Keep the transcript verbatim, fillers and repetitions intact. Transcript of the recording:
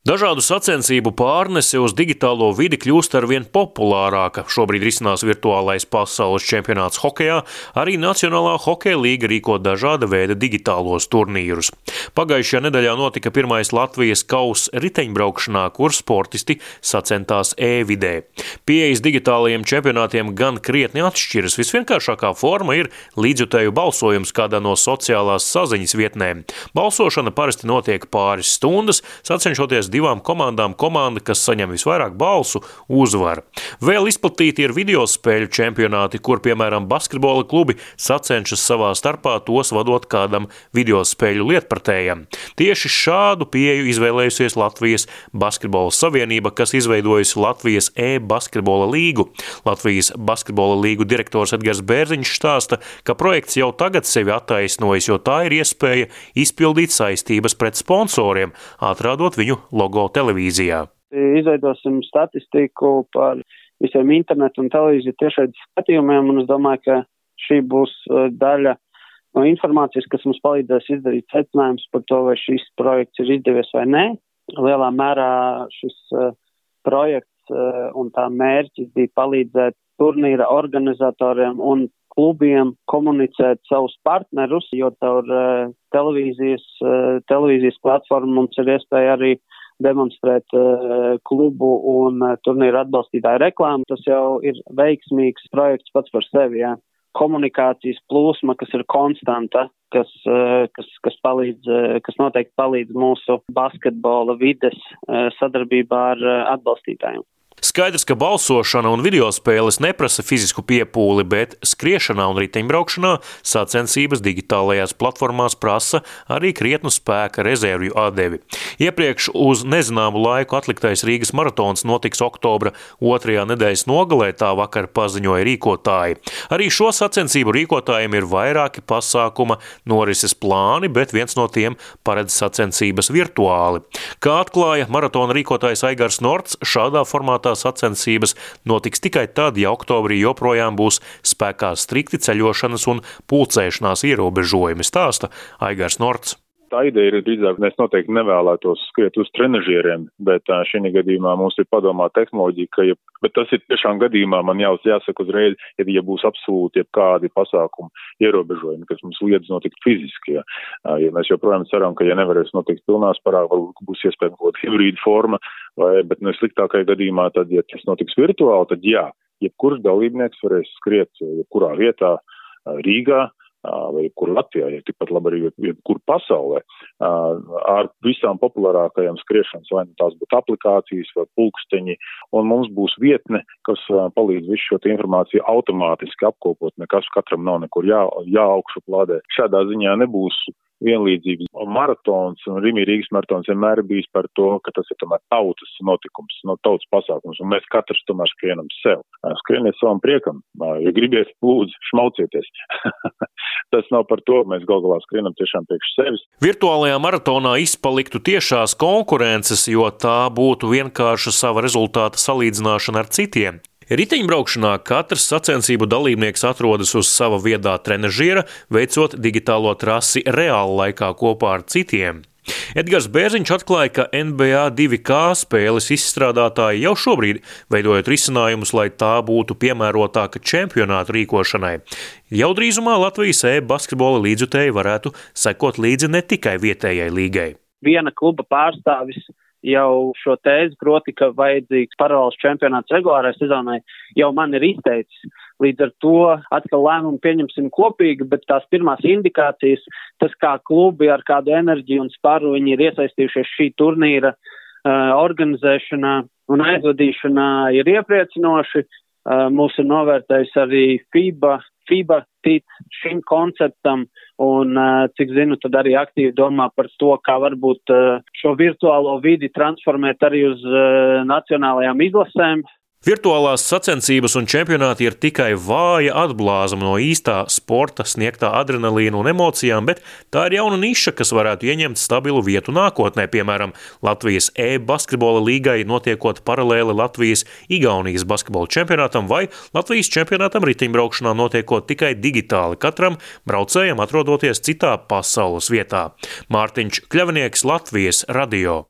Dažādu sacensību pārnese uz digitālo vidi kļūst arvien populārāka. Šobrīd risinās virtuālais pasaules čempionāts hokejā, arī Nacionālā hokeja līga rīko dažāda veida digitālos turnīrus. Pagājušajā nedēļā notika pirmais Latvijas kauss riteņbraukšanā, kur sportisti sacentās e-vidē. Pieejas digitālajiem čempionātiem gan krietni atšķiras. Visvienkāršākā forma ir līdzjutēju balsojums kādā no sociālās saziņas vietnēm. Balsošana parasti notiek pāris stundas, sacenšoties divām komandām komanda, kas saņem visvairāk balsu, uzvar. Vēl izplatīti ir videospēļu čempionāti, kur, piemēram, basketbola klubi sacenšas savā starpā, tos vadot kādam videospēļu lietpratējam. Tieši šādu pieeju izvēlējusies Latvijas Basketbola savienība, kas izveidojusi Latvijas e-basketbola līgu. Latvijas basketbola līgu direktors Edgars Bērziņš stāsta, ka projekts jau tagad sevi attaisnojas, jo tā ir iespēja izpildīt saistības pret sponsoriem, atrādot viņu logo televīzijā. Izveidosim statistiku par visiem internetu un televīziju tiešraides skatījumiem, un es domāju, ka šī būs daļa no informācijas, kas mums palīdzēs izdarīt secinājumus par to, vai šis projekts ir izdevies vai nē. Lielā mērā šis uh, projekts uh, un tā mērķis bija palīdzēt turnīra organizatoriem un klubiem komunicēt savus partnerus, jo caur uh, televīzijas, uh, televīzijas platformu mums ir iespēja arī demonstrēt uh, klubu un uh, turnīru atbalstītāju reklāmu. Tas jau ir veiksmīgs projekts pats par sevi, jā. Komunikācijas plūsma, kas ir konstanta, kas, uh, kas, kas, palīdz, uh, kas noteikti palīdz mūsu basketbola vides uh, sadarbībā ar uh, atbalstītājiem. Skaidrs, ka balsošana un videospēles neprasa fizisku piepūli, bet skriešanā un riteņbraukšanā sacensības digitālajās platformās prasa arī krietnu spēka rezervju atdevi. Iepriekš uz nezināmu laiku atliktais Rīgas maratons notiks oktobra otrajā nedēļas nogalē, tā vakar paziņoja rīkotāji. Arī šo sacensību rīkotājiem ir vairāki pasākuma norises plāni, bet viens no tiem paredz sacensības virtuāli. Kā atklāja maratona rīkotājs Aigars Norts, šādā formātā sacensības notiks tikai tad, ja oktobrī joprojām būs spēkā strikti ceļošanas un pulcēšanās ierobežojumi, stāsta Aigars Norts. Tā ideja ir drīzāk, mēs noteikti nevēlētos skriet uz trenažieriem, bet šī gadījumā mums ir padomā tehnoloģija, ka, ja, bet tas ir tiešām gadījumā, man jau jāsaka uzreiz, ja, ja būs absolūti kādi pasākumi ierobežojumi, kas mums liedz notikt fiziski. Ja, ja mēs joprojām ceram, ka ja nevarēs notikt pilnā spārā, varbūt būs iespējams kaut hibrīda forma, vai, bet no sliktākajā gadījumā, tad, ja tas notiks virtuāli, tad jā, jebkurš dalībnieks varēs skriet jebkurā vietā Rīgā, vai jebkur Latvijā, ja tikpat labi arī jebkur pasaulē, ar visām populārākajām skriešanas, vai nu tās būtu aplikācijas vai pulksteņi, un mums būs vietne, kas palīdz visu šo informāciju automātiski apkopot, nekas katram nav nekur jā, jāaugšuplādē. Šādā ziņā nebūs vienlīdzības. Maratons un Rimi Rīgas maratons vienmēr bijis par to, ka tas ir tomēr tautas notikums, no tautas pasākums, un mēs katrs tomēr skrienam sev. Skrieniet savam priekam, ja gribiet, lūdzu, šmaucieties. Tas nav par to, mēs gal galā skrienam tiešām priekš sevis. Virtuālajā maratonā izpaliktu tiešās konkurences, jo tā būtu vienkārša sava rezultāta salīdzināšana ar citiem. Riteņbraukšanā katrs sacensību dalībnieks atrodas uz sava viedā trenažiera, veicot digitālo trasi reāla laikā kopā ar citiem. Edgars Bērziņš atklāja, ka N B A divi K spēles izstrādātāji jau šobrīd veidojot risinājumus, lai tā būtu piemērotāka čempionātu rīkošanai. Jau drīzumā Latvijas e-basketbola līdzjutēji varētu sekot līdzi ne tikai vietējai līgai. Viena kluba pārstāvis jau šo tēzi, proti, ka vajadzīgs paralēls čempionāts regulārai sezonai, jau man ir izteicis. Līdz ar to atkal lēmumu pieņemsim kopīgi, bet tās pirmās indikācijas, tas kā klubi ar kādu enerģiju un sparu viņi ir iesaistījušies šī turnīra uh, organizēšanā un aizvadīšanā, ir iepriecinoši. Uh, mūs ir novērtējis arī FIBA, FIBA tic šim konceptam un, uh, cik zinu, tad arī aktīvi domā par to, kā varbūt uh, šo virtuālo vidi transformēt arī uz uh, nacionālajām izlasēm. Virtuālās sacensības un čempionāti ir tikai vāja atblāzma no īstā sporta sniegtā adrenalīna un emocijām, bet tā ir jauna niša, kas varētu ieņemt stabilu vietu nākotnē, piemēram, Latvijas e-basketbola līgai notiekot paralēli Latvijas-Igaunijas basketbola čempionātam vai Latvijas čempionātam riteņbraukšanā notiekot tikai digitāli, katram braucējam atrodoties citā pasaules vietā. Mārtiņš Kļavnieks, Latvijas radio.